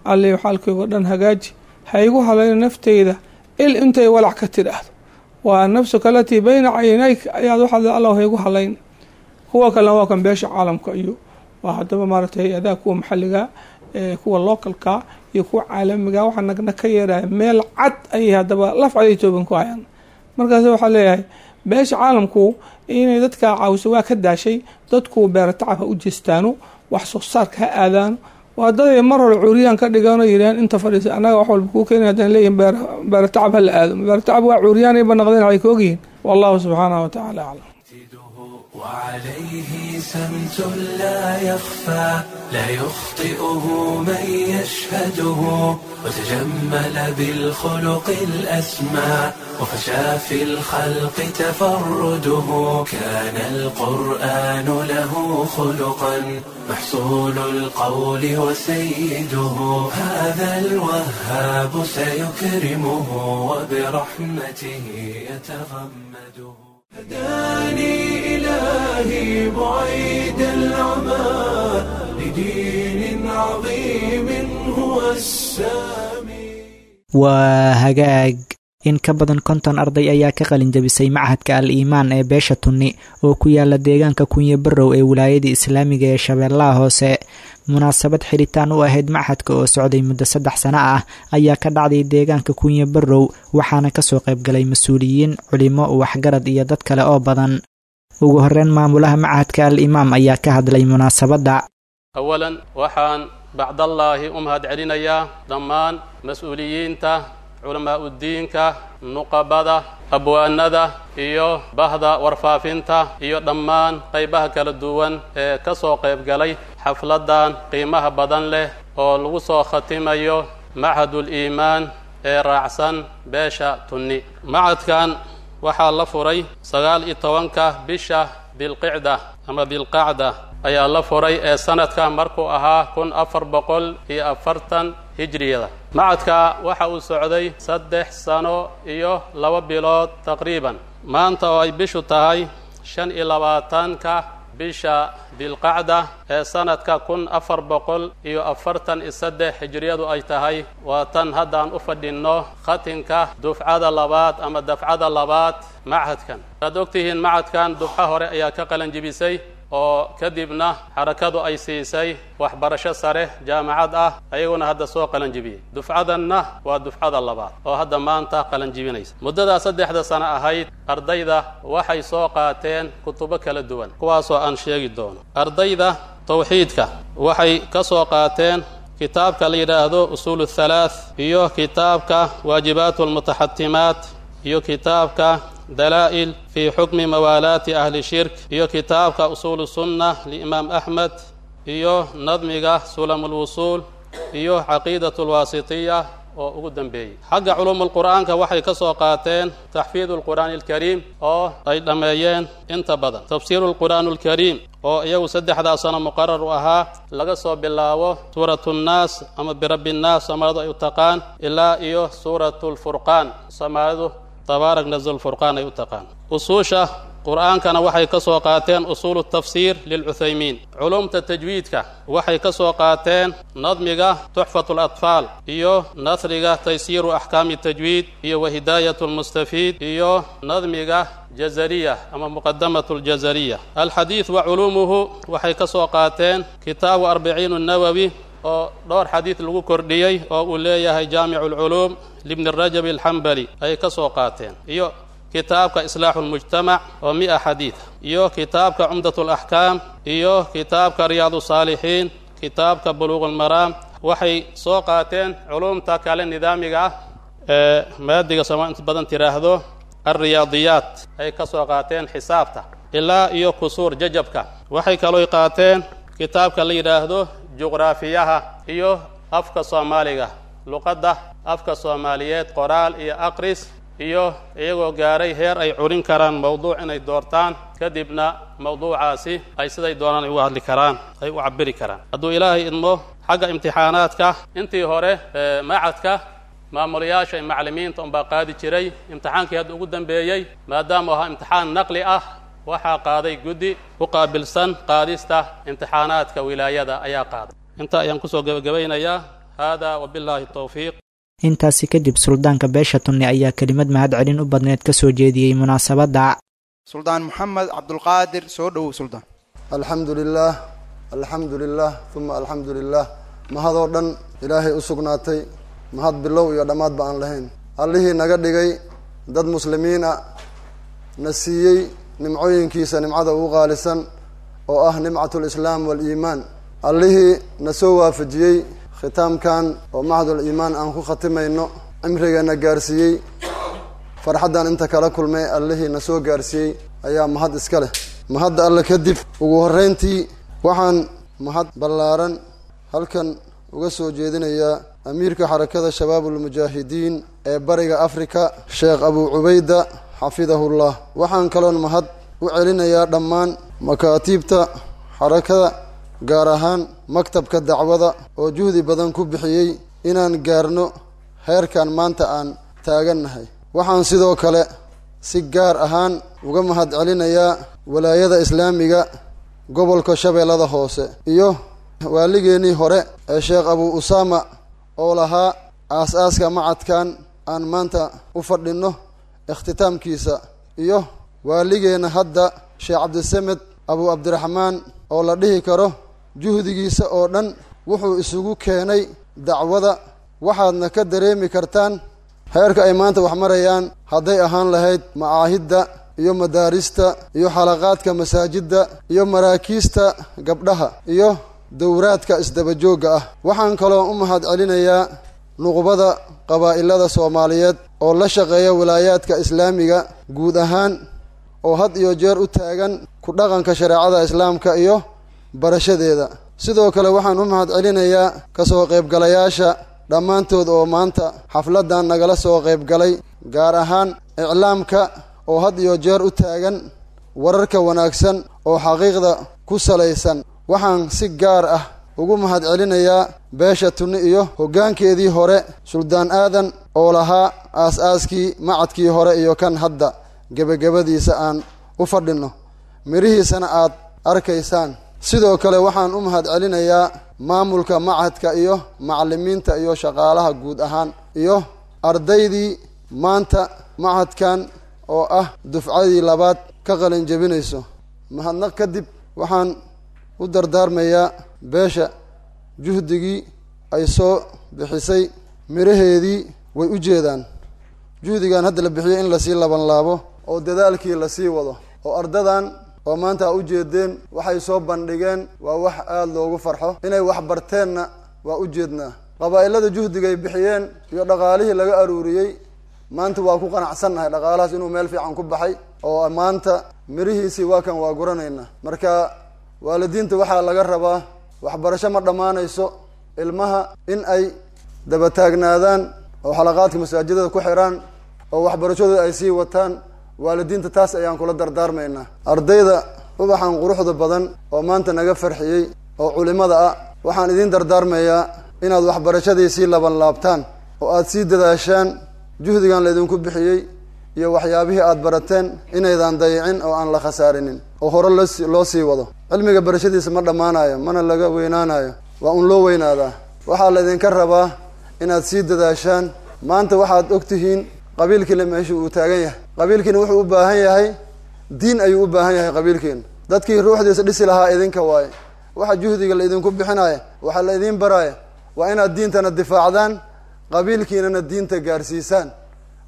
Alliyu xaalkaygo dhan hagaaji, ha igu halayna nafteyda il intay walac ka tidhaahdo. Waa nafsuka alatii bayna caynayk ayaad waxaad alla ha igu halayn. Kuwa kalena waa kan beesha caalamka iyo waa haddaba maaragtay hay-adaha kuwa maxalliga, kuwa localka iyo kuwa caalamiga, waxaa nagna ka yeeraya meel cad ayay haddaba laf caday tooban ku hayaan. Markaas waxaa leeyahay beesha caalamku inay dadka caawiso waa ka daashay, dadku beera tacab ha u jeestaano, wax soo saarka ha aadaano. Waa daday mar hore cuuriyaan ka dhiganoo yidhaheen inta fadhiisa annaga wax walba kuu keenay, haddana leeyihin beera tacab ha la aado. Beera tacab waa cuuriyaanayba naqdeen, waxay ka ogyihiin. Wallahu subxaanahu watacaala aclam. وعليه سمت لا يخفى، لا يخطئه من يشهده، وتجمل بالخلق الأسمى، وفشى في الخلق تفرده. كان القرآن له خلقا، محصول القول وسيده. هذا الوهاب سيكرمه وبرحمته يتغمده. هداني إلهي بعيد العمى لدين عظيم هو السامي. Waa hagaag. In ka badan 50 arday ayaa ka qalin jabisay machadka Al Iimaan ee beesha Tunni oo ku yaala deegaanka Kunye Barrow ee wilaayada islaamiga ee Shabeellaha Hoose. Munaasabad xiritaan u ahayd machadka oo socday muddo 3 sano ah ayaa ka dhacday deegaanka Kunye Barrow, waxaana kasoo qaybgalay mas-uuliyiin, culimo, waxgarad iyo dad kale oo badan. Ugu horeyn, maamulaha machadka Al Imaam ayaa ka hadlay munaasabadda. Awalan, waxaan bacdallaahi u mahad celinayaa dhammaan mas-uuliyiinta, culamaa'udiinka, nuqabada, abwaanada iyo bahda warfaafinta iyo dhammaan qaybaha kala duwan ee ka soo qaybgalay xafladdan qiimaha badan leh oo lagu soo khatimayo Machadul Iimaan ee raacsan beesha Tunni. Machadkan waxaa la furay 19-ka bisha Dilqicda ama Dilqacda ayaa la furay ee sanadka markuu ahaa 1440 hijriyada. Machadka waxa uu socday 3 sano iyo 2 bilood taqriiban. Maanta oo ay bishu tahay 25-ka bisha Dilqacda ee sanadka 1443 hijriyadu ay tahay, waa tan haddaan u fadhinno khatinka dufcada labaad ama dafcada labaad machadkan. Waad ogtihiin, machadkan dufco hore ayaa ka qalanjibisay oo kadibna xarakadu ay siisay waxbarasho sare jaamacad ah, ayaguna hadda soo qalanjibiyey. Dufcadanna waa dufcada labaad oo hadda maanta qalanjibinaysa. Muddadaa 3-da sano ahayd, ardayda waxay soo qaateen kutubo kala duwan, kuwaasoo aan sheegi doono. Ardayda tawxiidka waxay ka soo qaateen kitaabka la yidhaahdo Usuul Thalaath iyo kitaabka Waajibaat Almutaxatimaat iyo kitaabka Dalaa'il fi Xukmi Mawaalaati Ahli Shirk iyo kitaabka Usuul Sunna liimaam Axmed iyo nadmiga Sulam Lwusuul iyo Caqiidat Alwaasitiya oo ugu dambeeyey. Xagga culuumulqur'aanka waxay ka soo qaateen Taxfiid Alqur'aani Alkariim oo ay dhammeeyeen inta badan, Tafsiiru Alqur'aan Alkariim oo iyagu 3-daa sano muqarar u ahaa, laga soo bilaabo Suuratu Nnaas ama Birabbi Nnaas Soomaalidu ay u taqaan ilaa iyo Suuratu Lfurqaan, Soomaalidu Tabaarak nazl Furqaan ay u taqaan. Usuusha qur'aankana waxay ka soo qaateen Usuulu Tafsiir lilcuthaymiin. Culumta tajwiidka waxay ka soo qaateen nadmiga Tuxfatu Alatfaal iyo nasriga Taysiiru Axkaami Tajwiid iyo Wahidaayat Lmustafiid iyo nadmiga Jazariya ama Muqadamatu Ljazariya. Alxadiid wa culuumuhu waxay ka soo qaateen kitaabu Arbiciin Nawowi oo dhowr xadiid lagu kordhiyey oo uu leeyahay Jaamicu Alculuum libni Rajab Alxambali ayay ka soo qaateen, iyo kitaabka Islaaxu Lmujtamac oo 100 xadiid, iyo kitaabka Cumdat Alaxkaam iyo kitaabka Riyaadu Saalixiin, kitaabka Buluuq Almaraam. Waxay soo qaateen culumta kale nidaamiga ah ee maadiga sooma inta badan tiraahdo alriyaadiyaat ay ka soo qaateen, xisaabta ilaa iyo kusuur jajabka. Waxay kalooy qaateen kitaabka la yidhaahdo juqraafiyaha iyo afka soomaaliga, luqadda afka soomaaliyeed, qoraal iyo aqris, iyo iyagoo gaaray heer ay curin karaan mawduuc inay doortaan, kadibna mawduucaasi ay siday doonaan ay uga hadli karaan, ay u cabiri karaan hadduu Ilaahay idmo. Xagga imtixaanaadka, intii hore machadka maamulayaasha iyo macallimiinta unbaa qaadi jiray. Imtixaankii hadda ugu dambeeyey, maadaama ahaa imtixaan naqli ah, waxaa qaaday guddi u qaabilsan qaadista imtixaanaadka wilaayada ayaa qaaday. Inta ayaan kusoo gebagabaynayaa. Hada wabilaahi towfiiq. Intaasi kadib, suldaanka beesha Tunni ayaa kelimad mahad celin u badneed ka soo jeediyey munaasabadda. Suldaan Moxamed Cabdulqaadir, soo dhowow suldaan. Alxamdu lilah, alxamdu lilah, uma alxamdu lilah. Mahadoo dhan Ilaahay u sugnaatay, mahad bilow iyo dhammaadba aan lahayn, Allihii naga dhigay dad muslimiin ah, na siiyey nimcooyinkiisa nimcada ugu qaalisan oo ah nimcat lislaam waaliimaan, Allihii na soo waafajiyey khitaamkan oo Machadul Iimaan aan ku khatimayno, cimrigeena gaarsiiyey, farxaddan inta kala kulmay Allihii na soo gaarsiiyey ayaa mahad iska leh. Mahadda Alle kadib, ugu horreyntii waxaan mahad ballaaran halkan uga soo jeedinayaa amiirka Xarakada Shabaabulmujaahidiin ee Bariga Afrika, Sheekh Abuu Cubayda, xafidahullah. Waxaan kaloon mahad u celinayaa dhammaan makaatiibta xarakada, gaar ahaan maktabka dacwada oo juhdi badan ku bixiyey inaan gaarno heerkan maanta aan taagannahay. Waxaan sidoo kale si gaar ahaan uga mahad celinayaa Walaayada Islaamiga gobolka Shabeellada Hoose iyo waaligeennii hore ee Sheekh Abuu Usaama oo lahaa aas-aaska macadkan. aan maanta u fadhinno ikhtitaamkiisa, iyo waaligeenna hadda Sheekh Cabdisamed Abu Cabdiraxmaan oo la dhihi karo juhdigiisa oo dhan wuxuu isugu keenay dacwada. Waxaadna ka dareemi kartaan heerka ay maanta wax marayaan, hadday ahaan lahayd macaahidda iyo madaarista iyo xalaqaadka masaajidda iyo maraakiista gabdhaha iyo dowraadka isdabajoogga ah. Waxaan kaloo u mahad celinayaa nuqbada qabaa'ilada Soomaaliyeed oo la shaqeeya wilaayaadka islaamiga guud ahaan, oo had iyo jeer u taagan ku dhaqanka shareecada islaamka iyo barashadeeda. Sidoo kale waxaan u mahad celinayaa kasoo qaybgalayaasha dhammaantood oo maanta xafladdan nagala soo qaybgalay, gaar ahaan iclaamka oo had iyo jeer u taagan wararka wanaagsan oo xaqiiqda ku salaysan. Waxaan si gaar ah ugu mahad celinayaa beesha Tunni iyo hoggaankeedii hore Suldaan Aadan oo lahaa aas-aaskii macadkii hore iyo kan hadda gebagabadiisa aan u fadhinno, mirihiisana aad arkaysaan. Sidoo kale waxaan u mahad celinayaa maamulka machadka iyo macallimiinta iyo shaqaalaha guud ahaan iyo ardaydii maanta machadkan oo ah dufcadii labaad ka qalin jebinayso. Mahadnaq kadib waxaan u dardaarmayaa beesha juhdigii ay soo bixisay miraheedii way u jeedaan. Juhdigan hadda la bixiyey in lasii labanlaabo oo dadaalkii lasii wado, oo ardadan oo maanta a u jeedeen waxay soo bandhigeen waa wax aada loogu farxo. Inay wax barteenna waa u jeednaa. Qabaa'ilada juhdigay bixiyeen iyo dhaqaalihii laga aruuriyey maanta waa ku qanacsannahay dhaqaalahaas inuu meel fiican ku baxay, oo maanta mirihiisii waa kan waa guranaynaa. Marka waalidiinta waxaa laga rabaa waxbarasho ma dhammaanayso, ilmaha in ay dabataagnaadaan oo xalaqaadka masaajidada ku xiraan oo waxbarashadooda ay sii wataan. Waalidiinta taas ayaan kula dardaarmaynaa. Ardayda ubaxan quruxda badan oo maanta naga farxiyey oo culimada ah, waxaan idiin dardaarmayaa inaad waxbarashadii sii laban laabtaan oo aad sii dadaashaan. Juhdigan laydinku bixiyey iyo waxyaabihii aad barateen inaydan dayicin oo aan la khasaarinin, oo hore loo sii wado. Cilmiga barashadiisa ma dhammaanayo, mana laga weynaanayo, waa un loo weynaadaa. Waxaa laydinka rabaa inaad sii dadaashaan. Maanta waxaad ogtihiin qabiilkiina meesha uu taagan yahay. Qabiilkiina wuxuu u baahan yahay diin ayuu u baahan yahay. Qabiilkiina dadkii ruuxdiisa dhisi lahaa idinka waaye. Waxa juhdiga laydinku bixinaya, waxa la idiin baraaya waa inaad diintana difaacdaan, qabiilkiinana diinta gaarsiisaan.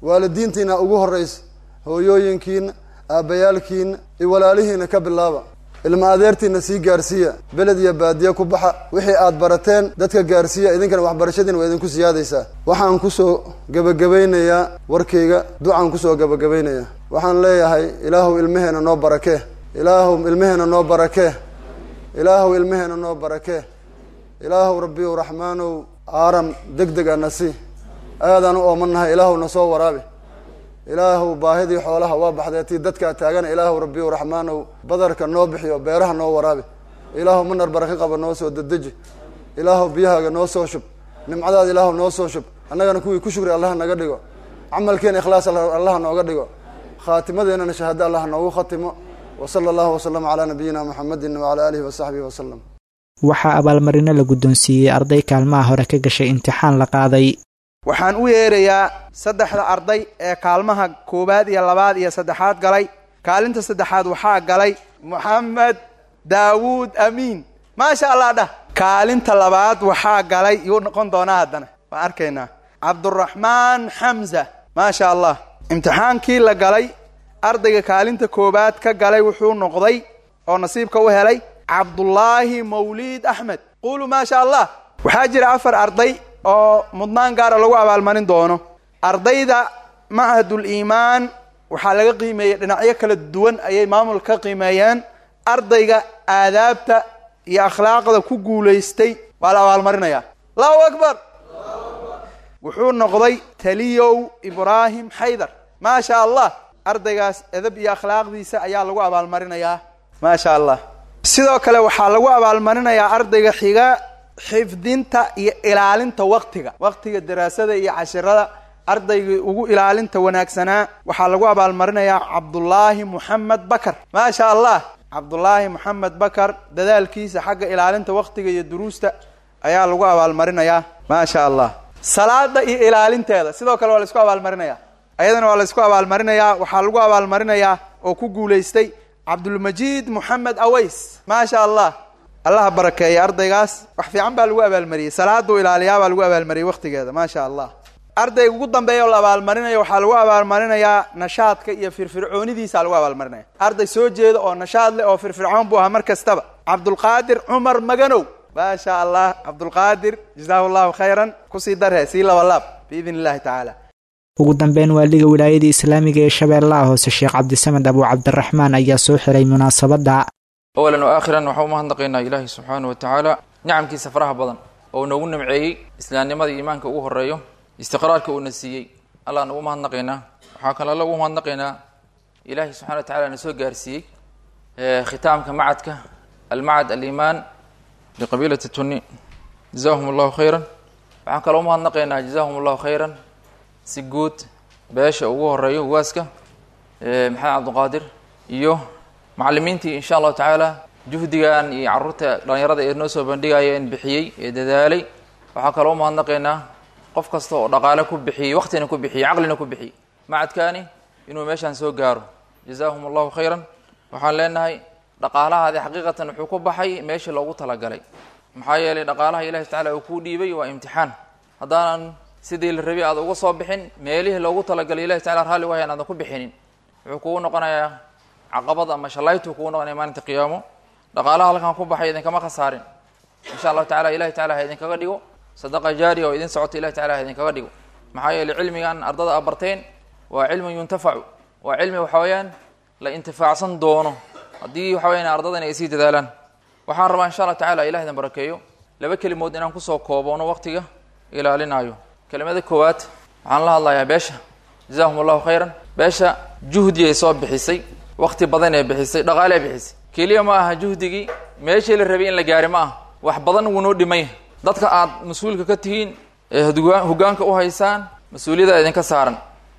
Waalidiintiina ugu horraysa, hooyooyinkiina, aabbayaalkiina iyo walaalihiina ka bilaaba. Ilma adeertiina sii gaarsiiya, beled iyo baadiye ku baxa. Wixii aad barateen dadka gaarsiiya, idinkana waxbarashadiina waa idinku siyaadaysaa. Waxaan kusoo gebagabaynayaa warkayga, ducaan kusoo gebagabaynayaa. Waxaan leeyahay ilaahuw ilmaheena noo barakee, ilaahuw ilmaheena noo barakee, ilaahuw ilmaheena noo barakee, ilaahuw rabbiyow raxmaanow aaram deg deg a nasi. Aadaan u oomannahay, ilaahuw na soo waraabi. Ilaahuw baahidii xoolaha waa baxdee, tii dadkaa taagana ilaahuw rabbiyow raxmaanow badarka noo bixiyo, beeraha noo waraabi. Ilaahuw manar baraka qaba noo soo dedeji. Ilaahuw biyahaaga noo soo shub, nimcadaada ilaahuw noo soo shub. Annagana kuwii ku shukri allaha naga dhigo, camalkeena ikhlaas allaha nooga dhigo, khaatimadeennana shahaado allaha noogu khatimo. Wa sala allahu wasalama calaa nabiyina muxamedin wacalaa aalihi wasaxbihi wasalam. Waxaa abaalmarino la guddoonsiiyey arday kaalmaha hore ka gashay imtixaan la qaaday. Waxaan u yeerayaa saddexda arday ee kaalmaha koowaad iyo labaad iyo saddexaad galay. Kaalinta saddexaad waxaa galay Moxamed Daawuud Amiin, maasha allah dhah. Kaalinta labaad waxaa galay, yuu noqon doonaa haddana waan arkaynaa, Cabduraxmaan Xamza, maasha allah. Imtixaankii la galay ardayga kaalinta koowaad ka galay wuxuu noqday oo nasiibka u helay Cabdullaahi Mawliid Axmed. Quuluu maasha allah. Waxaa jira 4 arday oo mudnaan gaara lagu abaalmarin doono. Ardayda Machadul Iimaan waxaa laga qiimeeyey dhinacyo kala duwan ayay maamul ka qiimeeyeen. Ardayga aadaabta iyo akhlaaqda ku guulaystay waa la abaalmarinayaa. Allahu akbar. Wuxuu noqday Taliyow Ibraahim Xaydar, maasha allah. Ardaygaas edab iyo akhlaaqdiisa ayaa lagu abaalmarinayaa, maasha allah. Sidoo kale waxaa lagu abaalmarinayaa ardayga xiga xifdinta iyo ilaalinta waqtiga, waqtiga daraasada iyo cashirada ardaygii ugu ilaalinta wanaagsanaa waxaa lagu abaalmarinayaa Cabdullaahi Moxamed Bakar, maasha allah. Cabdullaahi Moxamed Bakar dadaalkiisa xagga ilaalinta waqtiga iyo duruusta ayaa lagu abaalmarinayaa, maasha allah. Salaada iyo ilaalinteeda sidoo kale waa la isku abaalmarinaya, ayadana waa la isku abaalmarinayaa. Waxaa lagu abaalmarinayaa oo ku guulaystay Cabdulmajiid Moxamed Aways. Maasha Allah, Allaha barakeeya ardaygaas. Wax fiican baa lagu abaalmariyey, salaaduu ilaaliyaa baa lagu abaalmariyey wakhtigeeda. Maasha Allah. Ardayga ugu dambeeya oo la abaalmarinayo waxaa lagu abaalmarinayaa nashaadka iyo firfircoonidiisa lagu abaalmarinaya. Arday soo jeeda oo nashaad leh oo firfircoon buu ahaa mar kastaba, Cabdulqaadir Cumar Maganow. Maasha Allah, Cabdulqaadir, jazaahu Allahu khayran. Kusii darhe, sii labalaab biidn Illahi tacaala. Ugu dambeyn, waaliga Wilaayada Islaamiga ee Shabeellaha Hoose, Sheekh Cabdisamed Abu Cabdiraxmaan, ayaa soo xiray munaasabadda. Awalan wa aakhiran, waxaan u mahadnaqaynaa Ilaahay subxaanahu wa tacaala nicamkiisa faraha badan oo noogu nimceeyey islaamnimada iimaanka ugu horeeyo, istiqraarka uuna siiyey. Allah ugu mahadnaqaynaa. Waxaa kale Alla ugu mahadnaqaynaa Ilaahay subxana wa tacala na soo gaarsiiyey khitaamka macadka almacad aliimaan liqabiilati Tunni. Jazaahum Allahu khayran. Waxaan kaloo umahadnaqaynaa, jazaahum Allahu khayran, si guud beesha ugu horeeyo ugaaska Maxamed Cabdiqaadir iyo macallimiintii, insha Allahu tacaala, juhdigan iyo carruurta dhalinyarada ee noo soo bandhigayeen bixiyey ee dadaalay. Waxaa kaloo umahadnaqaynaa qof kasta oo dhaqaale ku bixiyey, waqtina ku bixiyey, caqlina ku bixiyey macadkaani inuu meeshaan soo gaaro. Jazaahum Allahu khayran. Waxaan leenahay dhaqaalahaadi xaqiiqatan wuxuu ku baxay meeshii loogu talagalay, maxaa yeelay dhaqaalaha Ilahi tacala uu kuu dhiibay waa imtixaan. Haddaanan sidii la rabay aad uga soo bixin, meelihii loogu talagalay Ilahi tacala raalli wahay aadan ku bixinin, wuxuu kugu noqonayaa caqabad ama shalaytuu kugu noqonaya maalinta qiyaamo. Dhaqaalaha halkan ku baxay idinkama khasaarin, insha Allahu tacala. Ilahi tacala ha idinkaga dhigo sadaqa jaariya oo idin socota. Ilahi tacala ha idinkaga dhigo, maxaa yeelay cilmigan ardada a barteen waa cilmun yuntafacu, waa cilmi waxa weeyaan la intifaacsan doono haddii waxa weyaan ardadan ay sii dadaalaan. Waxaan rabaa, insha Allah tacala, ilah idin barakeeyo, laba kelimood inaan kusoo kooboono waqtiga ilaalinaayo. Kelimada koowaad waxaan la hadlayaa beesha. Jazaahum Allahu khayran. Beesha juhdi ay soo bixisay, waqti badan ay bixisay, dhaqaale ay bixisay. Keliya ma aha juhdigii meeshii la rabay in la gaari, ma aha, wax badan wuu noo dhimay. Dadka aad mas-uulka ka tihiin ee hoggaanka u haysaan, mas-uuliyadda idinka saaran,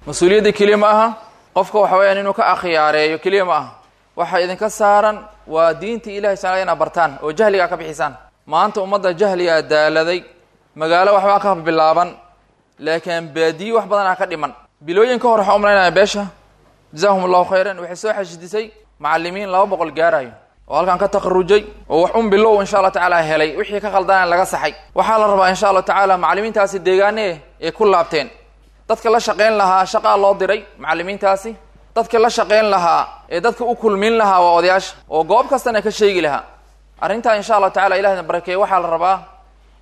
mas-uuliyadda keliya ma aha qofka waxa weyaan inuu ka akhyaareeyo keliya ma aha. Waxa idinka saaran waa diinta Ilahi subxana inaad bartaan oo jahligaa ka bixisaan. Maanta ummadda jahligaa daaladay. Magaalo waxbaa ka bilaaban, laakiin baadiye wax badanaa ka dhiman. Bilooyin ka hor waxaan umalaynaya beesha, jazaahum Allahu khayran, waxay soo xashidisay macallimiin 200 gaarayo oo halkan ka takharujay oo wax un bilow, insha Allah tacaala, helay, wixii ka khaldana laga saxay. Waxaa la rabaa, insha Allahu tacaala, macallimiintaasi deegaane ay ku laabteen dadka la shaqayn lahaa. Shaqaa loo diray macallimiintaasi. Dadka la shaqayn lahaa ee dadka u kulmin lahaa waa odayaasha oo goob kastana ka sheegi lahaa arrintaa, insha Allahu tacala. Ilahna barakeeye. Waxaa la rabaa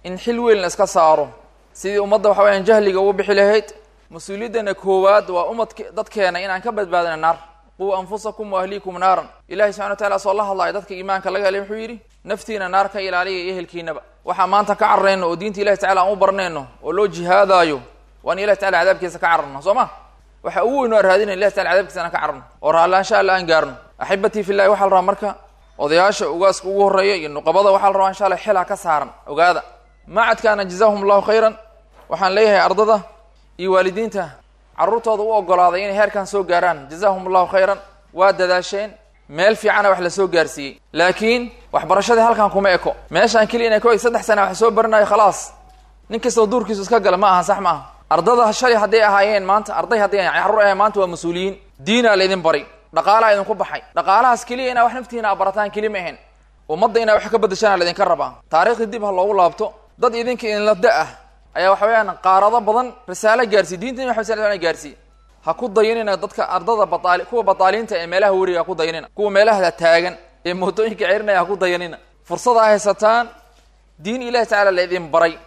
in xil weyn la iska saaro sidii ummadda waxa weyaan jahliga ugu bixi lahayd. Mas-uuliyaddana koowaad waa ummadk dadkeena inaan ka badbaadina naar. Quu anfusakum wa ahliikum naaran. Ilahi subxana wa tacala soo la hadlaayo dadka iimaanka laga helay wuxuu yidhi: naftiina naar ka ilaaliya iyo ehelkiinaba. Waxaa maanta ka cararayno oo diinta Ilahi tacala aan u barnayno oo loo jihaadaayo waa in Ilahi tacala cadaabkiisa ka cararno, soo ma? Waxa ugu weyn oo aan raadinay Ilahi tacala cadaabkiisa inaan ka cararno oo raallaansha Alla aan gaarno. Axibatii fillahi, waxaa la rabaa marka odayaasha, ugaaska ugu horreeya iyo nuqabada, waxaa la rabaa, insha Allah, xilaa ka saaran. Ogaada macadkaana, jazaahum Allahu khayran. Waxaan leeyahay ardada iyo waalidiinta carruurtooda u ogolaaday inay heerkan soo gaaraan, jazaahum Allahu khayran. Waa dadaasheen, meel fiicana wax la soo gaarsiiyey, laakiin waxbarashadii halkan kuma eko. Meeshaan keliya inay ku eg 3 sana wax soo baranayo, khalaas, nin kastoo duurkiisu iska gala, ma aha, sax ma aha. Ardada shalay hadday ahaayeen maanta arday, hadday carruur ahayen, maanta waa mas-uuliyiin. Diinaa la idin baray, dhaqaalaa idinku baxay. Dhaqaalahaas keliya inaa wax naftiina a barataan keliya ma ahayn, ummadda inaa wax ka badashaan la idinka rabaa. Taariikhdii dib ha loogu laabto. Dad idinka idinla da ah ayaa waxa weeyaan qaarado badan risaalo gaarsiiy, diinta Nabi Maxamed sal gaarsiiy. Ha ku dayanina dadka ardada baaali, kuwa bataaliinta ee meelaha weriga ha ku dayanina, kuwa meelaha taagan ee mootooyinka ceerinaya ha ku dayanina. Fursada haysataan, diin Ilahi tacala la idin baray.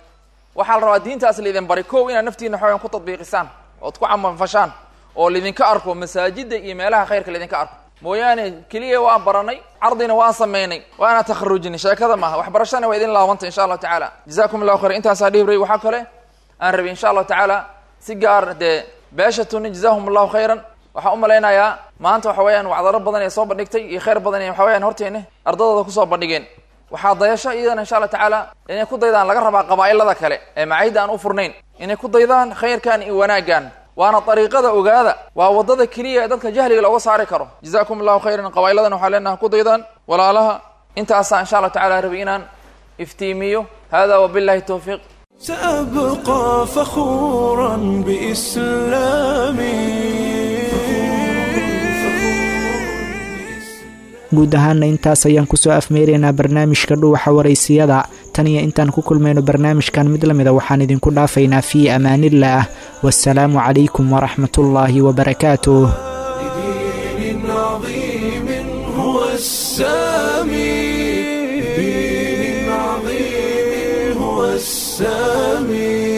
Waxaa la rabaa diintaas la idin baray kow inaad naftiina waxaweyan ku tadbiiqisaan ood ku camalfashaan oo laidinka arko masaajidda iyo meelaha khayrka laidinka arko mooyaane. Keliya waan baranay, cardina waan samaynay, waana takharujinay, sheekada maaha. Waxbarashana waa idin laabantay, insha Allahu tacaala. Jazakum Allahu khayr. Intaasaa dhihibray. Waxaa kale aan rabay, insha Allahu tacaala, si gaar dee beesha Tuni, jazaahum Allahu khayran. Waxaan u malaynayaa maanta waxa weeyaan wacdaro badan ee soo bandhigtay iyo khayr badan ee waxa weyaan horteena ardadooda kusoo bandhigeen. Waxaa dayasho iyadana, insha Allah tacaala, inay ku daydaan laga rabaa qabaa'ilada kale ee macaahidda aan u furnayn, inay ku daydaan khayrkan iyo wanaaggan. Waana dariiqada, ogaada, waa waddada keliya ee dadka jahliga looga saari karo. Jazakum Allahu khayran. Qabaa'iladan waxaa leenaha ku daydaan walaalaha. Intaasaa, insha Allah tacala, rabay inaan iftiimiyo. Hada wabillahi towfiiq. سأبقى فخورا بإسلامي. Guud ahaana intaas ayaan kusoo afmeeraynaa barnaamijka Dhuuxa Waraysiyada. Tan iyo intaan ku kulmayno barnaamijkan mid lamida, waxaan idinku dhaafaynaa fii amaanillaah, wasalaamu calaykum waraxmatullaahi wabarakaatuh. دين عظيم هو السامي، دين عظيم هو السامي.